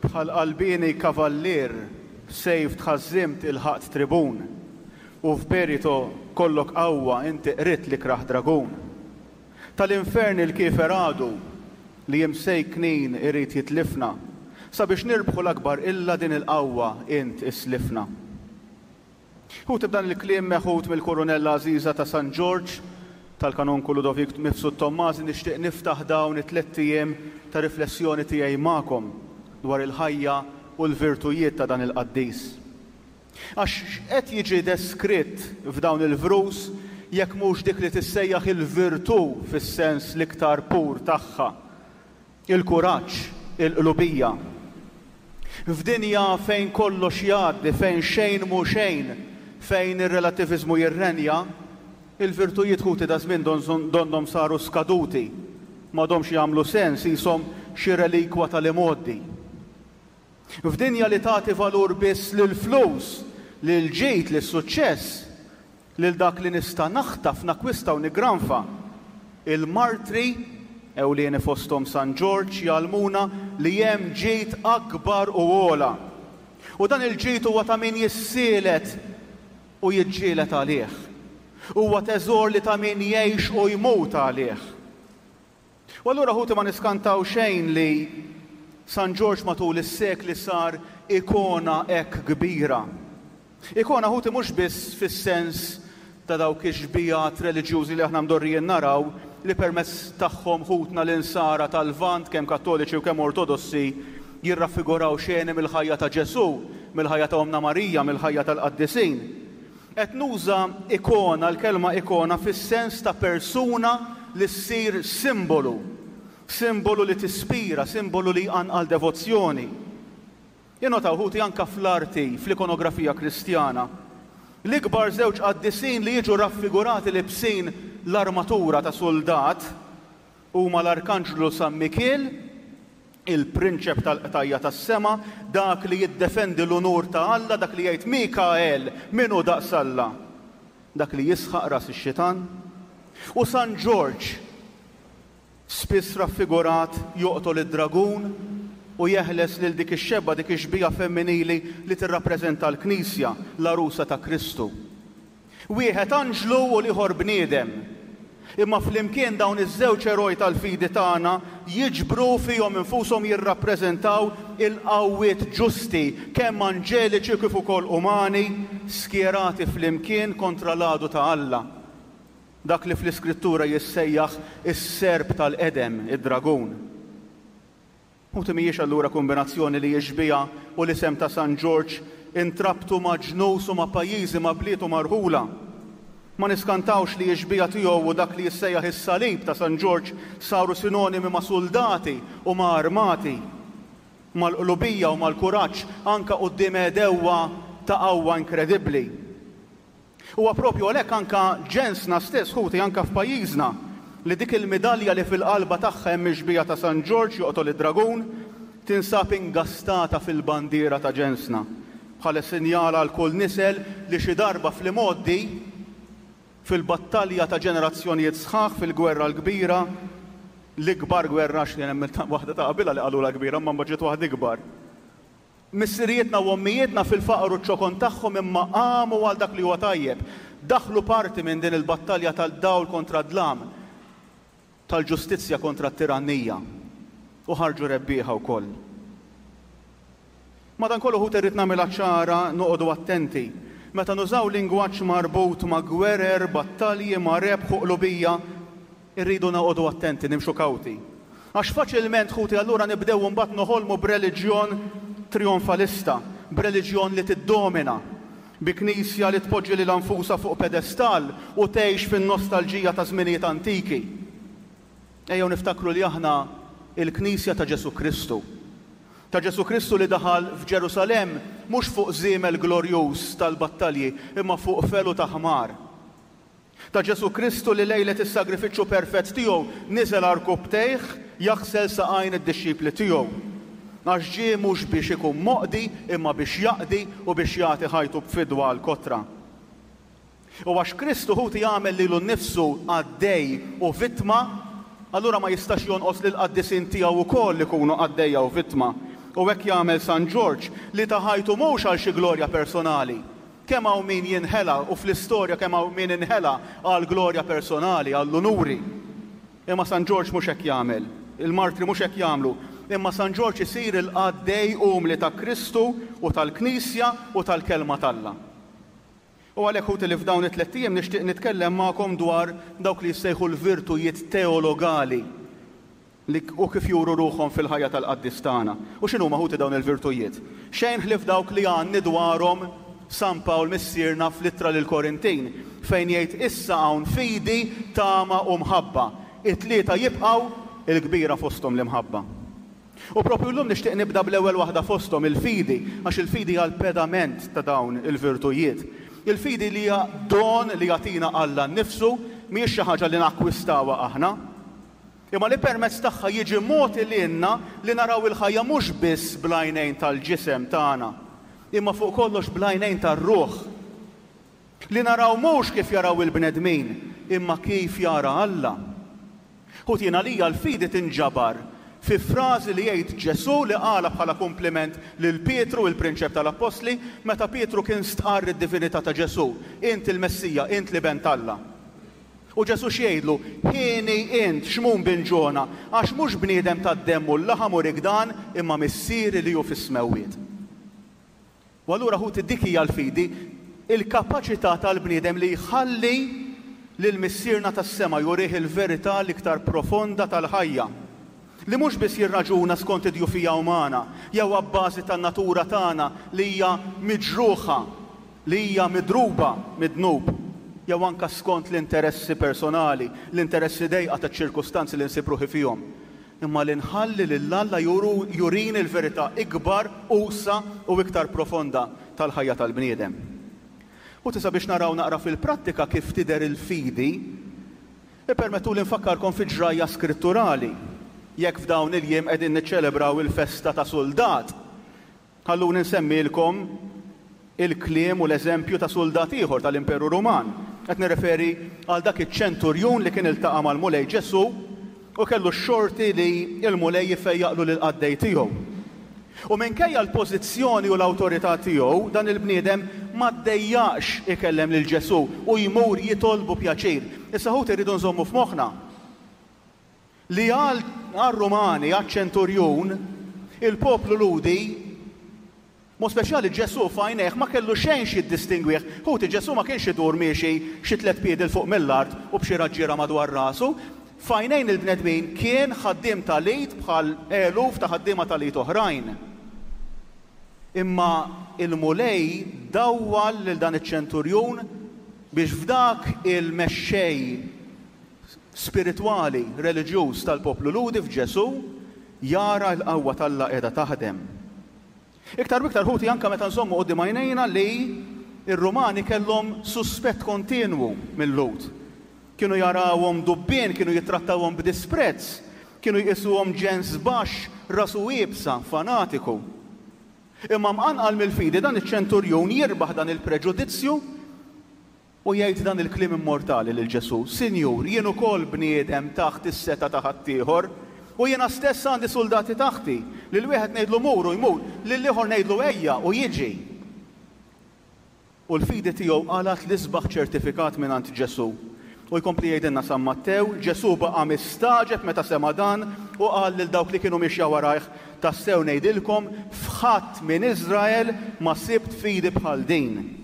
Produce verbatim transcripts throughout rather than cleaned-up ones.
Bħal qalbieni kavallier, b'sejf tħażżimt ilħaqt tribun, u f'berito kollok qawwa inti qridt l-ikrah dragun. Tal-infern il-kiefer għadu li imsejknin irid jitlifna, sabiex nirbħu l-akbar qilla din il-qawwa int islifna. Ħuti, b'dan il-kliem meħud mill-Kurunella Għażiża ta' San Ġorġ tal-Kanonku Ludovik Mifsud Tommasi nixtieq niftaħ dawn it-tlett ijiem ta' riflessjoni tiegħi magħkom dwar il-ħajja u l-virtujiet ta' dan il-qaddis. Għax x'qed jiġi deskritt f'dawn il-vrus jekk mhux dik li tissejjaħ il-virtù fis-sens l-iktar pur tagħha, il-kuraġġ, il-qlubija. F'dinja fejn kollox jgħaddi, fejn xejn mhu xejn, fejn ir-relattiviżmu jirrenja, il-virtujiet, ħuti, daż-żmien donnhom saru skaduti, m'għadhomx jagħmlu sens, qishom xi relikwa tal-imgħoddi. F'dinja li tagħti valur biss lill-flus, lill-ġid, lis-suċċess, lil dak li nista' naħtaf, nakwista u niggranfa, il-martri, ewlieni fosthom San Ġorġ, jgħallmuna li hemm ġid akbar u ogħla. U dan il-ġid huwa ta' min jissielet u jiġġieled għalih. Huwa teżor li ta' min jgħix u jmut għalih. U allura, ħuti, ma niskantaw xejn li San Ġorġ matul is-sekli sar ikona hekk kbira. Ikona, ħuti, mhux biss fis-sens ta' dawk ix-xbijat reliġjużi li aħna mdorrijin naraw li permezz tagħhom ħutna l-insara tal-Lvant, kemm Kattoliċi u kemm Ortodossi, jirraffiguraw xeni mill-ħajja ta' Ġesù, mill-ħajja ta' Ommna Marija, mill-ħajja tal-qaddisin. Qed nuża ikona, l-kelma ikona fis-sens ta' persuna li ssir simbolu, simbolu li tispira, simbolu li jqanqal devozzjoni. Innotaw, ħuti, anka fl-arti, fl-ikonografija Kristjana, l-ikbar żewġ qaddisin li jiġu raffigurati libsin l-armatura ta' soldat huma l-Arkanġlu San Mikiel, il-prinċep tal-qtajja tas-sema, dak li jiddefendi l-unur ta' Alla, dak li jgħid Mikael, min hu daqs Alla? Dak li jisħaq ras ix-xitan. U San Ġorġ, spiss raffigurat joqtol id-dragun u jeħles lil dik ix-xebba, dik ix-xbieha femminili li tirrappreżenta l-Knisja, l-għarusa ta' Kristu. Wieħed anġlu u l-ieħor bniedem. Imma flimkien dawn iż-żewġ eroj tal-fidi tagħna jiġbru fihom infushom, jirrappreżentaw il-qawwiet ġusti, kemm anġeliċi kif ukoll umani, skjerati flimkien kontra l-għadu ta' Alla. Dak li fl-Iskrittura jissejjaħ is-serp tal-qedem, id-dragun. Ħuti, mhijiex allura kombinazzjoni li x-xbieha u l-isem ta' San Ġorġ intrabtu ma' ġnus u ma' pajjiżi, ma' bliet u ma' rħula. Ma niskantawx li x-xbieha tiegħu u dak li jissejjaħ is-salib ta' San Ġorġ saru sinonimi ma' soldati u ma' armati, mal-qlubija u mal-kuraġġ anka quddiem għedewwa ta' qawwa inkredibbli. Huwa propju għalhekk anka ġensna stess, ħuti, anka f'pajjiżna, li dik il-midalja li fil-qalba tagħha hemm ix-xbieha ta' San Ġorġ joqtol id-dragun tinsab ingastata fil-bandiera ta' ġensna, bħala sinjal għal kull nisel li xi darba fl-imgħoddi, fil-battalja ta' ġenerazzjonijiet sħaħ fil-gwerra l-kbira, l-ikbar gwerra, għax hemm waħda ta' qabilha li qalulha kbira, imma mbagħad ġiet waħda ikbar. Missirijietna u ommijietna fil-faqar u ċ-ċokon tagħhom imma qamu għal dak li huwa tajjeb. Daħlu parti minn din il-battalja tal-dawl kontra d-dlam, tal-ġustizzja kontra t-tirannija, u ħarġu rebbieħa wkoll. Madankollu, ħuti, irrid nagħmilha ċara, noqogħdu attenti. Meta nużaw lingwaġġ marbut ma' gwerer, battalji, ma' rebħ u qlubija, irridu noqogħdu attenti, nimxu kawti. Għax faċilment, ħuti, allura nibdew mbagħad noħolmu b'reliġjon trionfalista, b'reliġjon li tiddomina, bi knisja li tpoġġi lilha nfusha fuq pedestal u tgħix fin-nostalġija ta' żminijiet antiki. Ejjew niftakru li aħna il-Knisja ta' Ġesù Kristu. Ta' Ġesù Kristu li daħal f'Ġerusalemm mhux fuq żiemel glorjuż tal-battalji, imma fuq felu ta' ħmar. Ta' Ġesù Kristu li lejlet is-sagrifiċċju perfett tiegħu niżel għarkupptejh jaħsel saqajn id-dixxipli tiegħu. Għax ġie mhux biex ikun moqdi imma biex jaqdi u biex jagħti ħajtu b'fidwa għal kotra. U għax Kristu, ħuti, jagħmel lilu nnifsu qaddej u vittma, allura ma jistax jonqos li l-qaddisin tiegħu wkoll ikunu qaddejja u vittma. U hekk jagħmel San Ġorġ li ta ħajtu mhux għal xi glorja personali. Kemm hawn min jinħela u fl-istorja kemm hawn min inħela għal glorja personali, għall-unuri. Imma San Ġorġ mhux hekk jagħmel, il-martri mhux hekk jagħmlu, imma San Ġorġ isir il-qaddej umli ta' Kristu u tal-Knisja u tal-Kelma t'Alla. U għalhekk, ħuti, li f'dawn it-tlett ijiem nixtieq nitkellem magħkom dwar dawk li jissejħu l-virtujiet teologali li u kif juru ruħhom fil-ħajja tal-qaddis tagħna. U x'inhuma, ħuti, dawn il-virtujiet? Xejn ħlief dawk li għanni dwarhom San Pawl missierna fl-ittra lil Korintin, fejn jgħid: issa hawn fidi, tama u mħabba. It-tlieta jibqgħu, il-kbira fosthom l-imħabba. U propju llum nixtieq nibda bl-ewwel waħda fosthom, il-fidi, għax il-fidi hija l-pedament ta' dawn il-virtujiet. Il-fidi li hija don li jagħtina Alla nnifsu, mhijiex xi ħaġa li nakkwistawha aħna, imma li permezz tagħha jiġi mogħti lilna li naraw il-ħajja mhux biss bl-għajnejn tal-ġisem tagħna, imma fuq kollox bl-għajnejn tar-ruħ. Li naraw mhux kif jaraw il-bnedmin, imma kif jara Alla. Ħuti, għalija l-fidi tinġabar fi frażi li jgħid Ġesù, li qala bħala kompliment lil Pietru, il-prinċep tal-Appostli, meta Pietru kien stqarr id-divinità ta' Ġesù: "Int il-Messija, int l-Iben t'Alla." U Ġesù x'jgħidlu? "Hieni int, Xmun bin Ġona, għax mhux bniedem tad-demm u l-laħam uriek dan, imma Missieri li hu fis-smewwiet." U allura, ħuti, dik hija l-fidi, il-kapaċità tal-bniedem li jħalli lil Missierna tas-sema jurih il-verità l-iktar profonda tal-ħajja. Li mhux biss jirraġuna skont id-djufija umana, jew abbażi tan-natura tagħna li hija miġruħa, li hija midruba mid-dnub, jew anka skont l-interessi personali, l-interessi dejqa taċ-ċirkustanzi li nsib ruħi fihom. Imma li nħalli lil Alla jurini l-verità ikbar, usa' u iktar profonda tal-ħajja tal-bniedem. U tisa biex naraw naqra fil-prattika kif tidher il-fidi, ippermettu li nfakkarkom fi ġrajja skritturali. Jekk f'dawn il-jiem qegħdin niċċelebraw il-festa ta' suldat, ħalluni nsemmilkom il-kliem u l-eżempju ta' suldat ieħor tal-Imperu Ruman. Qed nirreferi għal dak iċ-ċenturjun li kien iltaqa' mal-Mulej Ġesù u kellu x-xorti li l-Mulej jfejjaqlu lil qaddej tiegħu. U minkejja l-pożizzjoni u l-awtorità tiegħu, dan il-bniedem ma ddejjaqx ikellem lil Ġesù u jmur jitolbu pjaċir. Issa, ħuti, rridu nżommu f'moħħna li għal Rumani, għal-ċenturjun, il-poplu Lhudi, mod speċjali Ġesù, f'għajnejh ma kellu xejn x'jiddistingwih. Ħuti, Ġesù ma kienx idur miexi xi tliet piedi 'l fuq mill-art u b'xi raġġiera madwar rasu. F'għajnejn il-bnedmin kien ħaddiem tal-id bħal eluf ta' ħaddiema tal-id oħrajn. Imma il-Mulej dawwal lil dan iċ-ċenturjun biex f'dak il-mexxej spiritwali, reliġjuż tal-poplu Lhudi, f'Ġesù, jara l-qawwa t'Alla qiegħda taħdem. Iktar u iktar, ħuti, anka meta nżommu quddiem għajnejna li ir-Rumani kellhom suspett kontinwu mill-Lhud. Kienu jarawhom dubbien, kienu jittrattawhom b'disprezz, kienu jqisuhom ġens baxx, rasu iebsa, fanatiku. Imma mqanqal mill-fidi, dan iċ-ċenturjun jirbaħ dan il-preġudizzju u jgħid dan il-kliem immortali lil Ġesù: "Sinjur, jien ukoll bniedem taħt is-setgħa ta' ħaddieħor, u jiena stess għandi soldati taħti. Lil wieħed ngħidlu mur u jmur, lil ieħor ngħidlu ejja u jiġi." U l-fidi tiegħu qalgħet l-isbaħ ċertifikat mingħand Ġesù. U jkompli jgħidilna San Mattew: "Ġesù baqa' mistagħġeb meta sema dan u qal lil dawk li kienu miexja warajh: Tassew ngħidilkom, f'ħadd minn Iżrael ma sibt fidi bħal din."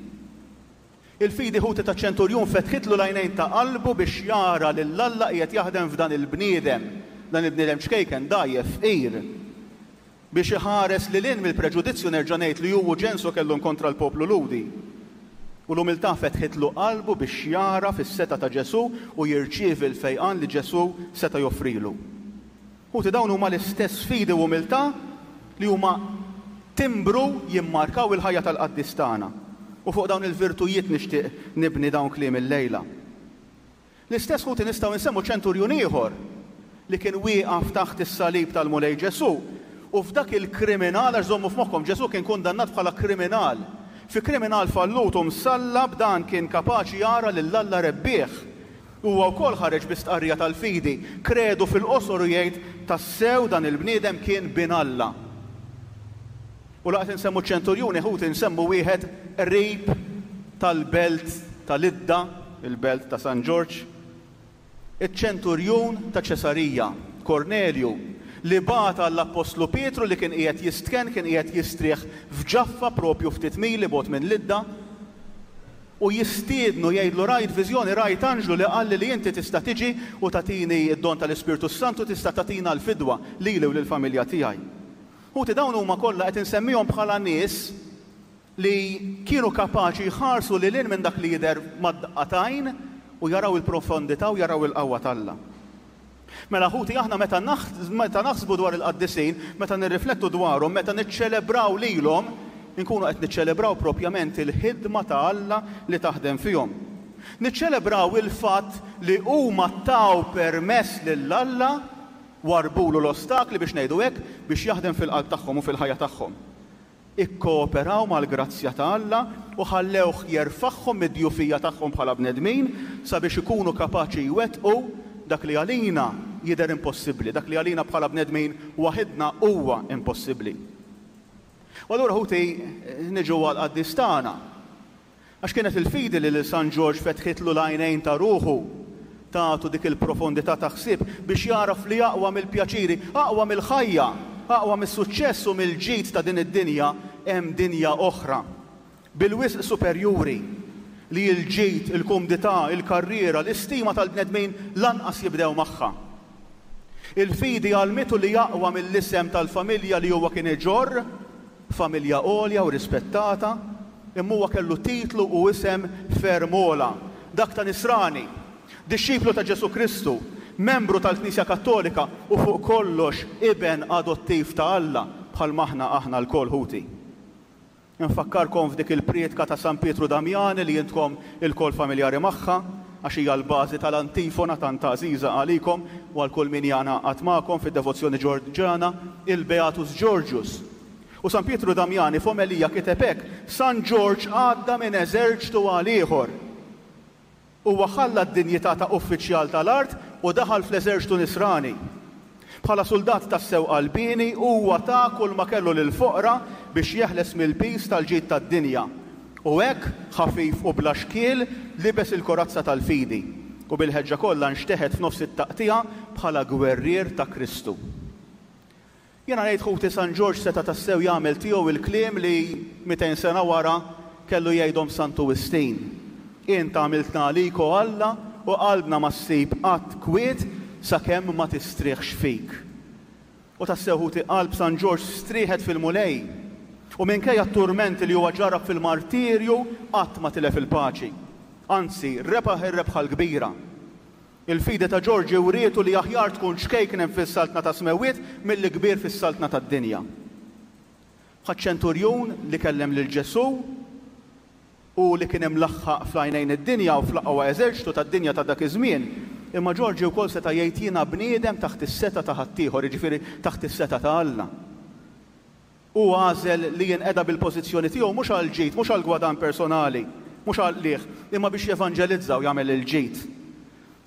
Il-fidi, ħuti, ta' ċenturjun fetħitlu l-għajnejn ta' qalbu biex jara lil Alla qiegħed jaħdem f'dan il-bniedem, dan il-bniedem ċkejken, dgħajjef, fqir. Biex iħares lil hinn mill-preġudizzju, nerġa' ngħid, li hu ġensu kellhom kontra l-poplu Lhudi. U l-umiltà fetħitlu qalbu biex jara fis-setgħa ta' Ġesù u jirċievi l-fejqan li Ġesù seta' joffrilu. Ħuti, dawn huma l-istess fidi u umiltà li huma timbru jimmarkaw il-ħajja tal-qaddis tagħna. U fuq dawn il-virtujiet nixtieq nibni dawn kliem il-lejla. L-istess, ħuti, nistgħu nsemmu ċenturjun ieħor li kien wieqaf taħt is-salib tal-Mulej Ġesù u f'dak il-kriminal, għax żommu f'moħħkom, Ġesù kien kundannat bħala kriminal. Fi kriminal fallut u msallab, dan kien kapaċi jara lil Alla rebbieħ. Huwa wkoll ħareġ bi stqarrija tal-fidi, kredu fil-qosor, u jgħid: "Tassew dan il-bniedem kien bin Alla." U laqt insemmu ċenturjuni, ħuti, nsemmu wieħed qrib tal-belt tal-Idda, il-belt ta' San Ġorġ, iċ-ċenturjun ta' Ċesarija, Kornelju, li bagħat għall-Appostlu Pietru li kien qiegħed jistkenn, kien qiegħed jistrieħ f'Ġaffa propju ftit mili bogħod minn Lidda, u jistiednu jgħidlu rajt viżjoni, rajt anġlu li qalli li inti tista' tiġi u tagħtini d-don tal-Ispirtu Santu, tista' tagħtina l-fidwa lili u lill-familja tiegħi. Ħuti, dawn huma kollha qed insemmihom bħala nies li kienu kapaċi jħarsu lil hinn minn dak li jidher mad-daqqa t'għajn u jaraw il-profondità u jaraw il-qawwa t'Alla. Mela ħuti, aħna meta meta naħsbu dwar il-qaddisin, meta nirriflettu dwarhom, meta niċċelebraw lilhom, inkunu qed niċċelebraw propjament il-ħidma ta' Alla li taħdem fihom. Niċċelebraw il-fatt li huma taw permess lil Alla, warbulu l-ostakli biex ngħidu hekk, biex jaħdem fil-qalb tagħhom u fil-ħajja tagħhom. Ikkooperaw mal-grazzja ta' Alla u ħallewh jerfagħhom mid-djufija tagħhom bħala bnedmin sabiex ikunu kapaċi jwettqu dak li għalina jidher impossibbli, dak li għalina bħala bnedmin waħidna huwa impossibbli. U allura ħuti niġu għall-qaddis tagħna. Għax kienet il-fidi li lil San Ġorġ fetħitlu l-għajnejn ta' ruħu, tagħtu dik il-profondità ta' ħsieb biex jaraf li aqwa mill-pjaċiri, aqwa mill-ħajja, aqwa mis-suċċess u mill-ġid ta' din id-dinja hemm dinja oħra, bil-wisq superjuri, li l-ġid, il-kumdità, il-karriera, l-istima tal-bnedmin lanqas jibdew magħha. Il-fidi għallmitu li aqwa mill-isem tal-familja li huwa kien iġorr, familja għolja u rispettata, imma huwa kellu titlu u isem ferm ogħla, dak ta' Nisrani, dixxiplu ta' Ġesù Kristu, membru tal-Knisja Kattolika u fuq kollox iben adottiv ta' Alla bħal maħna aħna lkoll ħuti. Nfakkarkom f'dik il-prietka ta' San Pietru Damjani li intkom ilkoll familjari magħha, għax hija l-bażi tal-antifona tant għażiża għalikom u għal kull min jingħaqad magħkom fid-devozzjoni ġorġana, il-Beatus Georgius. U San Pietru Damjani f'omelija kiteb hekk: San Ġorġ għadda minn eżerċtu għal ieħor. Huwa ħalla d-dinjità ta' uffiċjal tal-art u daħal fl-eżerċtu nisrani. Bħala soldat tassew qalbieni huwa ta kull ma kellu lil foqra biex jeħles mill-piż tal-ġid tad-dinja. U hekk, ħafif u bla xkiel, libes il-korazza tal-fidi u bil-ħeġġa kollha nxteħet f'nofs it-taqtigħa bħala gwerrier ta' Kristu. Jiena ngħid ħuti, San Ġorġ seta' tassew jagħmel tiegħu il-kliem li mitejn sena wara kellu jgħidhom Santu Wistin. Int għamiltna għalik, o Alla, u qalbna ma ssib qatt kwiet sakemm ma tistrieħx fik. U tassew ħuti, qalb San Ġorġ strieħet fil-Mulej. U minkejja t-turmenti li huwa ġarrab fil-martirju qatt ma tilef il-paċi. Anzi, rebaħ ir-rebħa l-kbira. Il-fidi ta' Ġorġi wrietu li aħjar tkun ċkejknem fis-saltna ta' smewwiet milli kbir fis-saltna tad-dinja. Bħaċ-ċenturjun li kellem lil Ġesù u li kien imlaħħaq fl-għajnejn id-dinja u fl-aqwa eżerċtu tad-dinja ta' dak iż-żmien, imma Ġorġi wkoll seta' jgħid jiena bniedem taħt is-setgħa ta' ħaddieħor, jiġifieri taħt is-setgħa ta' Alla. Hu għażel li jinqeda bil-pożizzjoni tiegħu mhux għall-ġid, mhux għall-gwadann personali, mhux għall-qligħ, imma biex jevanġelizza u jagħmel il-ġid.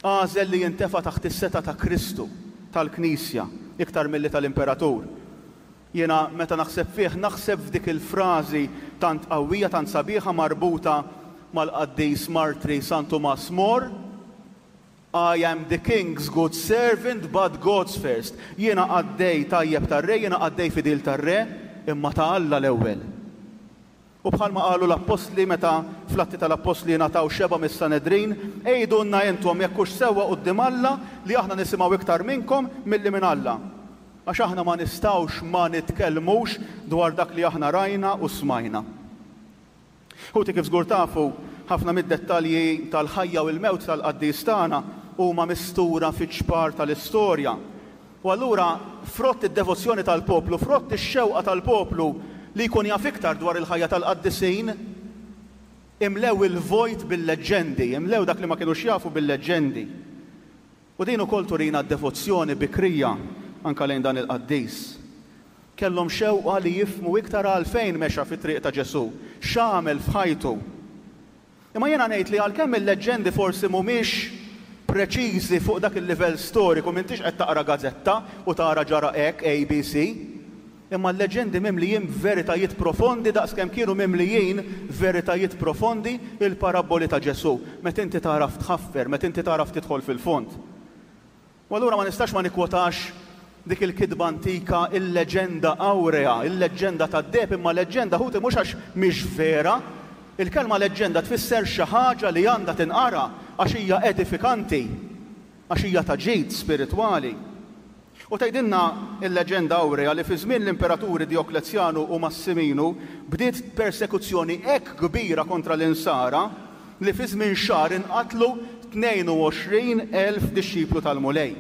Għażel li jintefa' taħt is-setgħa ta' Kristu, tal-Knisja, iktar milli tal-Imperatur. Jiena meta naħseb fih, naħseb f'dik il-frażi tant qawwija, tant sabiħa marbuta mal-qaddis martri San Tumas More: I am the king's good servant, but God's first. Jiena qaddej tajjeb tar-re, jiena qaddej fidil tar-re, imma ta' Alla l-ewwel. U bħalma qalu l-appostli meta fl-Atti tal-Appostli ngħataw xeba mis-Sanedrin, għidulna intom jekk hux sewwa quddiem Alla li aħna nisimgħu iktar minnkom milli minn Alla. Għax aħna ma nistgħux ma nitkellmux dwar dak li aħna rajna u smajna. Ħuti, kif żgur tafu, ħafna mid-dettalji tal-ħajja u l-mewt tal-qaddis tagħna huma mistura fiċ-ċpar tal-istorja. U allura frott id-devozzjoni tal-poplu, frott ix-xewqa tal-poplu li jkun jaf iktar dwar il-ħajja tal-qaddisin, imlew il-vojt bil-leġġendi, imlew dak li ma kinux jafu bil-leġġendi. U din ukoll turina d-devozzjoni bikrija anka lejn dan il-qaddis. Kellhom xewqa li jifhmu iktar għalfejn mexa fit-triq ta' Ġesù, x'għamel f'ħajtu. Imma jiena ngħid li għalkemm il-leġġendi forsi mhumiex preċiżi fuq dak il-livell storiku, m'intix qed taqra gazzetta u tara ġara hekk A B C, Imma l-leġendi mimlijin veritajiet profondi daqskemm kienu mimlijin veritajiet profondi il-parabboli ta' Ġesù. Meta inti tagħraf tħaffer, meta inti tagħraf tidħol fil-fond. U allura ma nistax ma nikkwotax dik il-kitba antika, il-leġenda awrea, il-leġenda tad-deheb, imma leġenda, ħuti, mhux għax mhix vera. Il-kelma leġenda tfisser xi ħaġa li għandha tinqara għax hija edifikanti, għax hija ta' ġid spiritwali. U tgħidilna il-leġenda awrea li fi żmien l-imperaturi Dioklezjanu u Massiminu bdiet persekuzzjoni hekk kbira kontra l-insara li fi żmien xahar inqatlu tnejn u għoxrin elf dixxiplu tal-Mulej.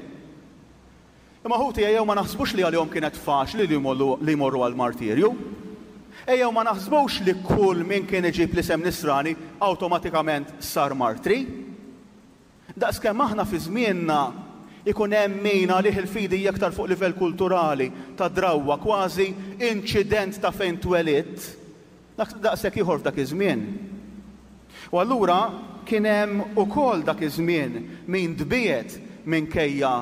Imma, ħuti, ejjew ma naħsbux li għalihom kienet faċli li jmorru għal-martirju. Ejjew ma naħsbux li kull min kien iġib l-isem nisrani awtomatikament sar martri. Daqskemm aħna fi żmienna ikun hemm min għalih il-fidi aktar fuq livell kulturali, ta' drawwa, kważi inċident ta' fejn twelidt, daqshekk ieħor f'dak iż-żmien. U allura kien hemm ukoll dak iż-żmien min tbiegħed minkejja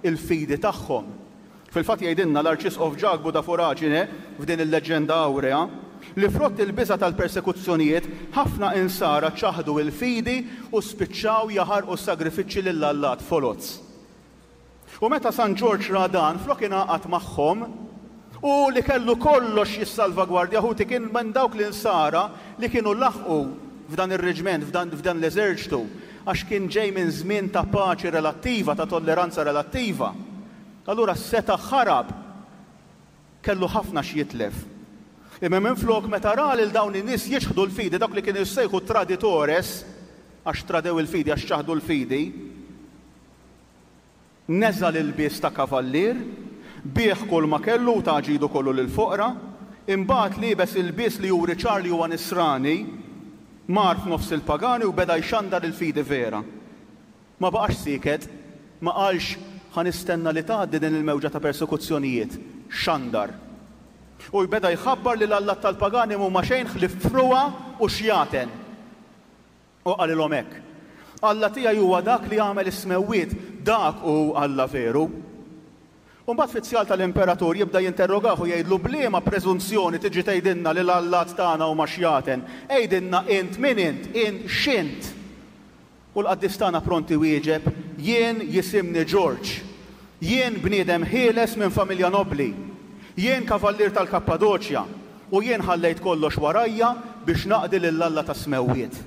il-fidi tagħhom. Fil-fatt jgħidilna l-Arċisqof Ġakbu da Foraġine f'din il-leġenda awrea li frott il-biża tal-persekuzzjonijiet ħafna insara ċaħdu il-fidi u spiċċaw jaħarqu sagrifiċċji lill-allat foloz. U meta San Ġorġ ra dan, flok ingħaqad magħhom u li kellu kollox jissalvagwardja, ħuti, kien minn dawk l-insara li kienu laħqu f'dan ir-reġment, f'dan, f'dan l-eżerċtu, għax kien ġej minn żmien ta' paċi relattiva, ta' tolleranza relattiva. Allura seta' ħarab, kellu ħafna x'jitlef. Imma minn flok, meta ra lil dawn in-nies jiċħdu l-fidi, dak li kienu jissejħu traditores, għax tradew il-fidi, għax ċaħdu l-fidi, neża' l-ilbies ta' kavallier, biegħ kull ma kellu u ta ġidu kollu lil foqra, imbagħad libes ilbies li juri ċar li huwa nisrani, mar f'nofs il-pagani u beda jxandar il-fidi vera. Ma baqax sieket, ma qalx ħa nistenna li tgħaddi din il-mewġa ta' persekuzzjonijiet, xandar. U beda jħabbar li l-allat tal-pagani mhuma xejn ħlief frugħa u xjaten. U qalilhom hekk: "Alla tiegħi huwa dak li għamel is-smewwiet, dak hu Alla veru." U mbagħad fizzjal tal-imperatur jibda jinterrogah u jgħidlu: "B'liema preżunzjoni tiġi tgħidilna li l-allat tagħna huma xjaten? Għidilna int min int, int x'int?" U l-qaddis tagħna pronti wieġeb: "Jien jisimni Ġorġ. Jien bniedem ħieles minn familja nobli. Jien kavallier tal-Kappadoċja u jien ħallejt kollox warajja biex naqdi lil Alla tas-smewwiet."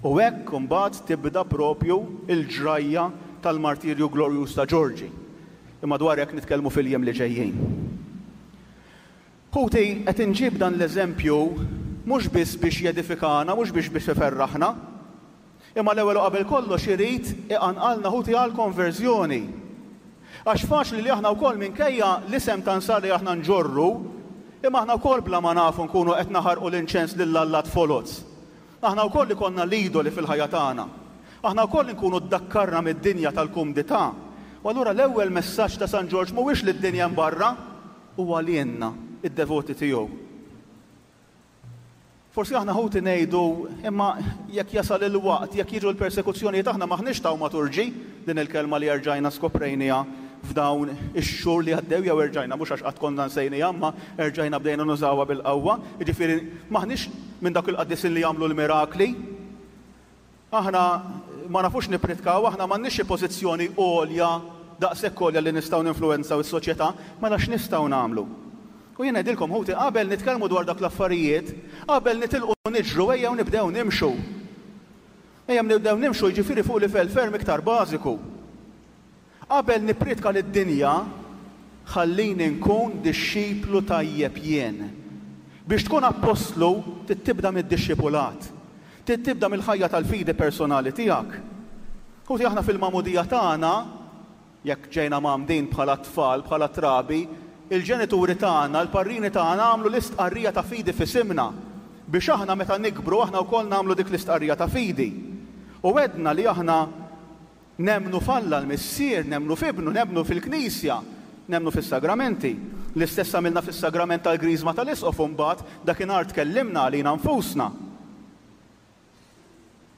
U hekk imbagħad tibda propju il-ġrajja tal-martirju glorjuż ta' Ġorġi. Imma dwar hekk nitkellmu fil-jiem li ġejjin. Ħuti, qed inġib dan l-eżempju mhux biss biex jedifikana, mhux biex biex iferraħna, imma l-ewwel u qabel kollox irid iqanqalna, ħuti, għal konverżjoni. Għax faċli li aħna wkoll, minkejja l-isem ta' nsara li aħna nġorru, imma aħna wkoll bla ma nafu nkunu qed naħarqu l-inċens lill-allat foloz. Aħna wkoll li konna l-idoli fil-ħajja tagħna. Aħna wkoll nkunu ddakkarna mid-dinja tal-kumdità. U allura l-ewwel messaġġ ta' San Ġorġ mhuwiex lid-dinja barra, huwa lilna, id-devoti tiegħu. Forsi aħna, ħuti, ngħidu, imma jekk jasal il-waqt, jekk jiġu l-persekuzzjonijiet, aħna maħniex tawmaturġi, din il-kelma li erġajna skoprejnieha f'dawn ix-xhur li għaddew, jew erġajna, mhux għax qatt konna nsejnieha, imma erġajna bdejna nużawha bil-qawwa, jiġifieri maħniex minn dak il-qaddisin li jagħmlu l-mirakli. Aħna ma nafux nippritkaw, aħna m'għandniex xi pożizzjoni għolja, daqshekk għolja li nistgħu ninfluwenzaw is-soċjetà, mela x'nistgħu nagħmlu? U jien ngħidilkom, ħuti, qabel nitkellmu dwar dak l-affarijiet, qabel nitilqu niġru, ejjew nibdew nimxu. Ejjew nibdew nimxu, jiġifieri fuq livell ferm iktar bażiku. Qabel nippritka lid-dinja, ħallini nkun dixxiplu tajjeb jien. Biex tkun appostlu, tibda mid-dixxipulat. Tibda mill-ħajja tal-fidi personali tiegħek. Ħuti, aħna fil-magħmudija tagħna, jekk ġejna mgħammdin bħala tfal, bħala trabi, il-ġenituri tagħna, il-parrini tagħna għamlu l-istqarrija ta' fidi f'isimna biex aħna meta nikbru aħna wkoll nagħmlu dik l-istqarrija ta' fidi. U għedna li aħna nemmnu f'Alla l-Missier, nemmnu f'Ibnu, nemmnu fil-Knisja, nemmnu fis-sagramenti. L-istess għamilna fis-sagrament tal-Griżma tal-Isqof, mbagħad dakinhar tkellimna għalina nfusna.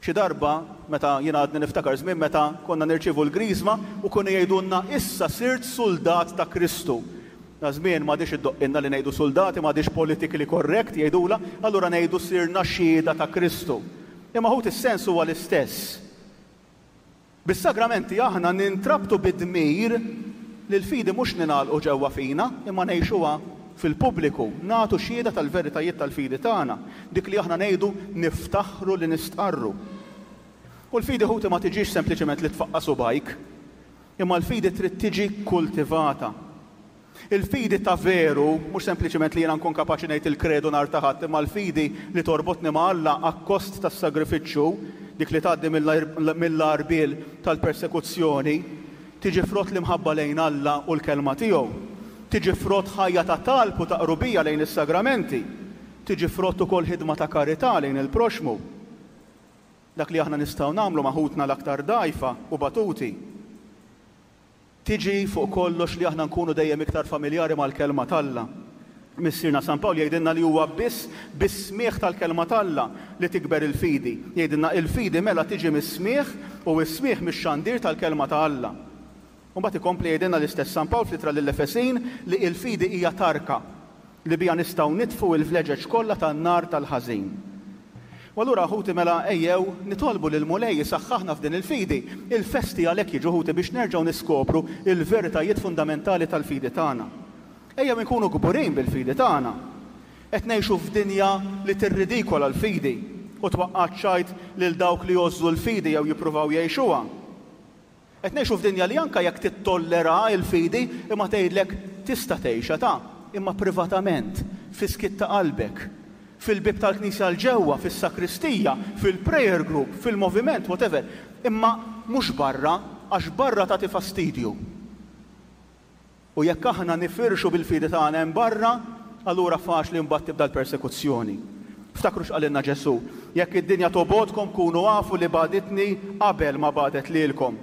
Xi darba, meta jiena għadni niftakar żmien meta konna nirċievu l-Griżma u kienu jgħidulna: "Issa sirt soldat ta' Kristu." Da żmien m'għadix iddoqqilna li ngħidu suldati, m'għadix politically correct jgħidula, allura ngħidu sirna xhieda ta' Kristu. Imma ħuti, is-sens huwa l-istess. Bis-sagramenti aħna nintrabtu bid-dmir li l-fidi mhux ningħalqu ġewwa fina, imma ngħixuha fil-pubbliku, nagħtu xhieda tal-veritajiet tal-fidi tagħna, dik li aħna ngħidu niftaħru li nistqarru. U l-fidi, ħuti, ma tiġix sempliċement li tfaqqa' subgħajk, imma l-fidi trid tiġi kultivata. Il-fidi ta' veru, mhux sempliċement li jiena nkun kapaċi ngħid il-kredu nhar ta' Ħadd, imma l-fidi li torbotni ma' Alla akkost tas-sagrifiċċju, dik li tgħaddi mill-għarbiel tal-persekuzzjoni, tiġi frott l-imħabba lejn Alla u l-kelma tiegħu. Tiġi frott ħajja ta' talb u ta' qrubija lejn is-sagramenti. Tiġi frott ukoll ħidma ta' karità lejn il-proxmu. Dak li aħna nistgħu nagħmlu ma' ħutna l-aktar dgħajfa u batuti. Tiġi fuq kollox li aħna nkunu dejjem iktar familjari mal-kelma t'Alla. Missierna San Pawl jgħidilna li huwa biss bis-smigħ tal-kelma t'Alla li tikber il-fidi. Jgħidilna il-fidi mela tiġi mis-smigħ u s-smigħ mix-xandir tal-kelma ta' Alla. U mbagħad ikompli jgħidilna l-istess San Pawl fl-ittra lill-Efesin li l-fidi hija tarka li biha nistgħu nitfu l-vleġeġ kollha tan-nar tal-ħażin. U allura, ħuti, mela ejjew nitolbu lil Mulej isaħħaħna f'din il-fidi. Il-festi għalhekk jiġu, ħuti, biex nerġgħu niskopru il-veritajiet fundamentali tal-fidi tagħna. Ejjew inkunu kburin bil-fidi tagħna. Qed ngħixu f'dinja li tirridikola l-fidi u twaqqa' ċajt lil dawk li jgħożżu l-fidi jew jippruvaw jgħixuha. Qed ngħixu f'dinja li anke jekk tittollera l-fidi imma tgħidlek tista' tgħixha ta' imma privatament, fis-skiet ta' qalbek, fil-bib tal-knisja l-ġewwa, fis-sakristija, fil-prayer group, fil-moviment, whatever. Imma mhux barra, għax barra tagħti fastidju. U jekk aħna nifirxu bil-fidi tagħna hemm barra, allura faċli mbagħad tibda l-persekuzzjoni. Ftakru x'qalilna Ġesù, jekk id-dinja tobgħodkom kunu afu li bagħditni qabel ma bagħdet lilkom.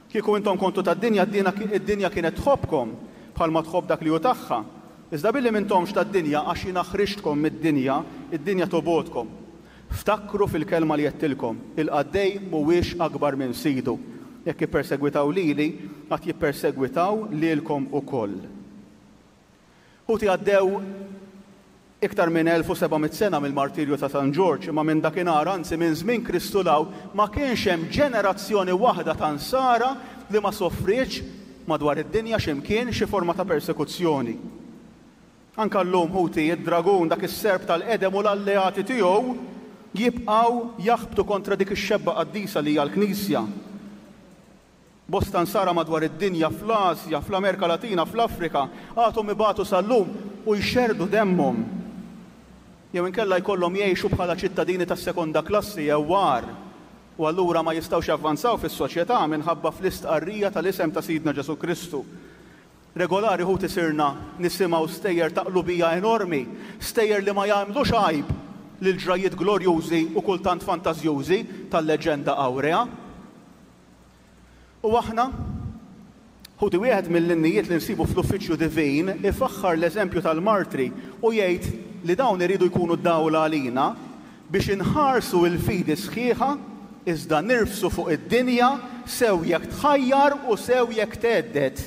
Kieku intom kontu tad-dinja, id-dinja kienet tħobbkom bħalma tħobb dak li hu tagħha. Iżda billi m'intomx tad-dinja għax jiena ħriġtkom mid-dinja, id-dinja tobgħodkom. Ftakru fil-kelma li għedtilkom, il-qaddej mhuwiex akbar minn sidu. Jekk jippersegwitaw lili, għad jippersegwitaw lilkom ukoll. Ħuti, għaddew iktar minn elf u seba' mitt sena mill-martirju ta' San Ġorġ, imma minn dakinhar, anzi minn żmien Kristu 'l hawn, ma kienx hemm ġenerazzjoni waħda ta' nsara li ma soffrietx madwar id-dinja x'imkien xi forma ta' persekuzzjoni. Anka llum, ħuti, id-dragun, dak is-serp tal-qedem u l-alleati tiegħu jibqgħu jaħbtu kontra dik ix-xebba qaddisa li hija l-Knisja. Bosta nsara madwar id-dinja, fl-Asja, fl-Amerika Latina, fl-Afrika, għadhom ibatu sal-lum u jxerrdu demmhom. Jew inkella jkollhom jgħixu bħala ċittadini tas-sekonda klassi jew war, u allura ma jistgħux javvanzaw fis-soċjetà minħabba fl-istqarrija tal-isem ta' Sidna Ġesù Kristu. Regolari, ħuti, sirna nisimgħu stejjer ta' qlubija enormi, stejjer li ma jagħmlux għajb lil ġrajiet glorjużi u kultant fantażjużi tal-leġenda awrea. U aħna, ħuti, wieħed mill-innijiet li nsibu fl-uffiċċju divin ifaħħar l-eżempju tal-martri u jgħid li dawn iridu jkunu dawla għalina biex inħarsu l-fidi sħiħa iżda nirfsu fuq id-dinja sew jekk tħajjar u sew jekk thedded.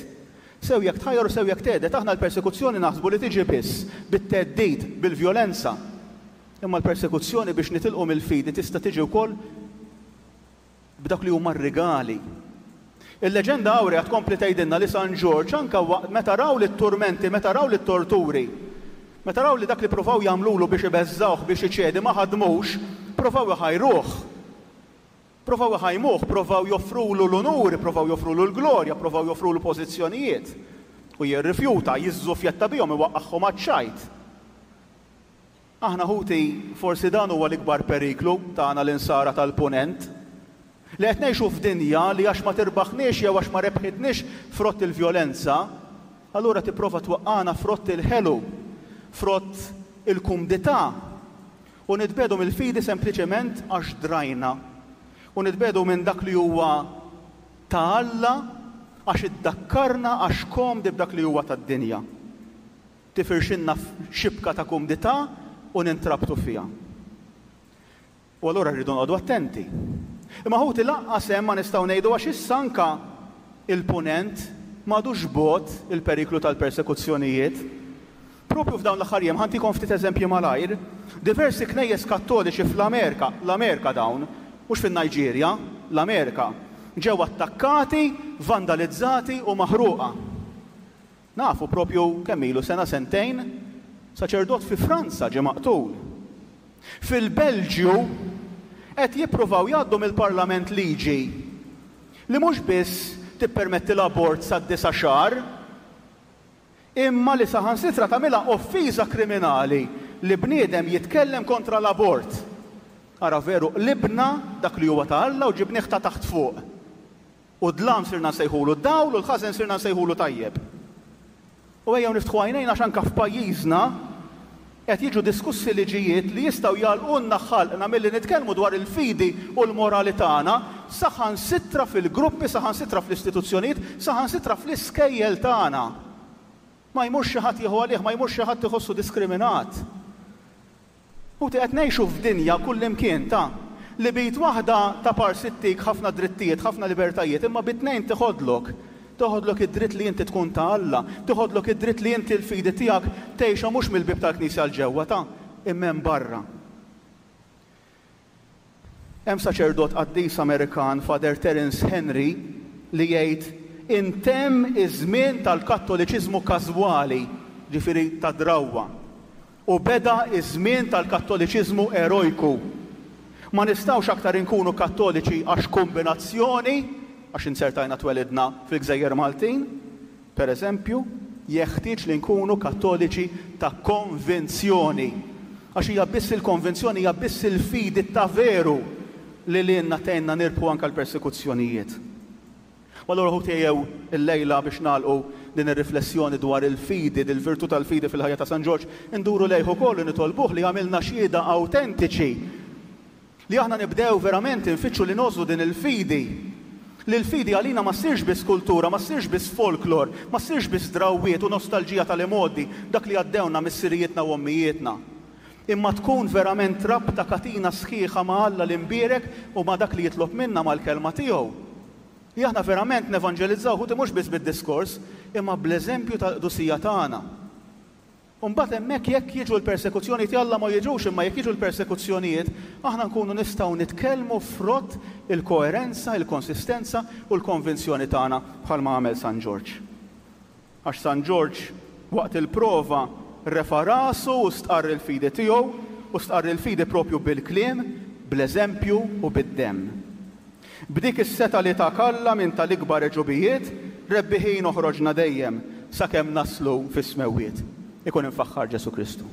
Sew jekk tħajjar u sew jekk thedded, aħna l-persekuzzjoni naħsbu li tiġi biss bit-theddid, bil-vjolenza. Imma l-persekuzzjoni biex nitilqu mill-fidi tista' tiġi wkoll b'dak li huma r-rigali. Il-leġenda awrea tkompli tgħidilna li San Ġorġ anke waqt meta raw lit-turmenti, meta raw lit-torturi, meta raw li dak li provaw jagħmlulu biex ibeżżawh biex iċedi ma ħadmux, provaw iħajruh. Provaw iħajmuh, provaw joffrulu l-unuri, provaw joffrulu l-glorja, provaw joffrulu pożizzjonijiet. U jirrifjuta, jiżżufjetta bihom, iwaqqagħhom għaċ-ċajt. Aħna, ħuti, forsi dan huwa l-ikbar periklu tagħna l-insara tal-punent. Li qed ngħixu f'dinja li għax ma tirbaħniex jew għax ma rebħitniex frott il-vjolenza, allura tipprova twaqqagħna frott il-ħelu, frott il-kumdità, u nitbedu mill-fidi sempliċement għax drajna. U nitbedu minn dak li huwa ta' Alla għax iddakkarna għax komdi b'dak li huwa tad-dinja. Tifirxinna xibka ta' kumdità u nintrabtu fiha. U allura rridu noqogħdu attenti. Imma ħuti, lanqas hemm ma nistgħu ngħidu għax issa anka il-punent m'għadux bogħod il-periklu tal-persekuzzjonijiet. Propju f'dawn l-aħħar jiem, ħa ntikom ftit eżempji malajr, diversi knejjes kattoliċi fl-Amerika, l-Amerika dawn, mhux fin-Niġerja, l-Amerika, ġew attakkati, vandalizzati u maħruqa. Nafu propju kemm ilu sena sentejn, saċerdot fi Franza ġie maqtul. Fil-Belġju qed jippruvaw jgħaddu mill-Parlament liġi li mhux biss tippermetti l-abort sa disa' xahar, imma li saħansitra tagħmilha offiża kriminali li bniedem jitkellem kontra l-abort. Ara veru qlibna dak li huwa ta' Alla u ġibnieh ta' taħt fuq. U dlam sirna nsejħulu dawl u l-ħażen sirna nsejħulu tajjeb. U ejjew niftħu għajnejna għax anke f'pajjiżna qed jiġu diskussi liġijiet li jistgħu jagħlqulna ħalqna milli nitkellmu dwar il-fidi u l-morali tagħna, saħansitra fil-gruppi, saħansitra fl-istituzzjonijiet, saħansitra fl-iskejjel tagħna. Ma jmurx xi ħadd jieħu għalih, ma jmurx xi ħadd iħossu diskriminat. U qed ngħixu f'dinja kullimkien ta' li b'id waħda ta' parsittik ħafna drittijiet, ħafna libertajiet, imma bit-tnejn tiħodlok. Toħodlok id-dritt li inti tkun ta' Alla, toħodlok id-dritt li inti l-fidi tiegħek tgħixha mhux mill-bieb tal-Knisja 'l ġewwa ta' imma hemm barra. Hemm saċerdot qaddis Amerikan, Father Terence Henry, li jgħid intemm iż-żmien tal-Kattoliċiżmu każwali, ġifieri ta' drawwa, u beda iż-żmien tal-Kattoliċiżmu erojku. Ma nistgħux aktar inkunu kattoliċi għax kombinazzjoni, għax insertajna twelidna fil-Gżejjer Maltin, per eżempju, jeħtieġ li nkunu kattoliċi ta' konvinzjoni. Għax hija biss il-konvinzjoni, hija biss il-fidi ta' veru li lilna tgħinna nirbħu anke l-persekuzzjonijiet. U allura ħuti ejjew illejla biex nagħlqu din ir-riflessjoni dwar il-fidi, dil-virtù tal-fidi fil-ħajja ta' San Ġorġ, induru lejh ukoll u nitolbuh li jagħmilna xhieda awtentiċi, li aħna nibdew verament infittxu li ngħożżu din il-fidi. Li l-fidi għalina ma ssirx biss kultura, ma ssirx biss folklor, ma ssirx biss drawwiet u nostalġija tal-imgħoddi, dak li għaddewna missirijietna u ommijietna. Imma tkun verament rabta katina sħiħa ma' Alla l-imbierek u ma' dak li jitlob minna mal-kelma tiegħu. Li aħna verament nevanġelizzaw ħuti mhux biss bid-diskors, imma bl-eżempju tal-qdusija tagħna. U mbagħad hemmhekk jekk jiġu l-persekuzzjonijiet, Alla ma jiġux, imma jekk jiġu l-persekuzzjonijiet, aħna nkunu nistgħu nitkellmu frott il-koerenza, il-konsistenza u l-konvinzjoni tagħna bħalma għamel San Ġorġ. Għax San Ġorġ waqt il-prova refa' rasu u stqarr il-fidi tiegħu, u stqarr il-fidi propju bil-kliem, bl-eżempju u bid-demm. B'dik is-seta li ta' Alla minn tal-ikbar eġubijiet, rebbiħin oħroġna dejjem sakemm naslu fis-smewwiet. Ikun infaħħar Ġesu Kristu.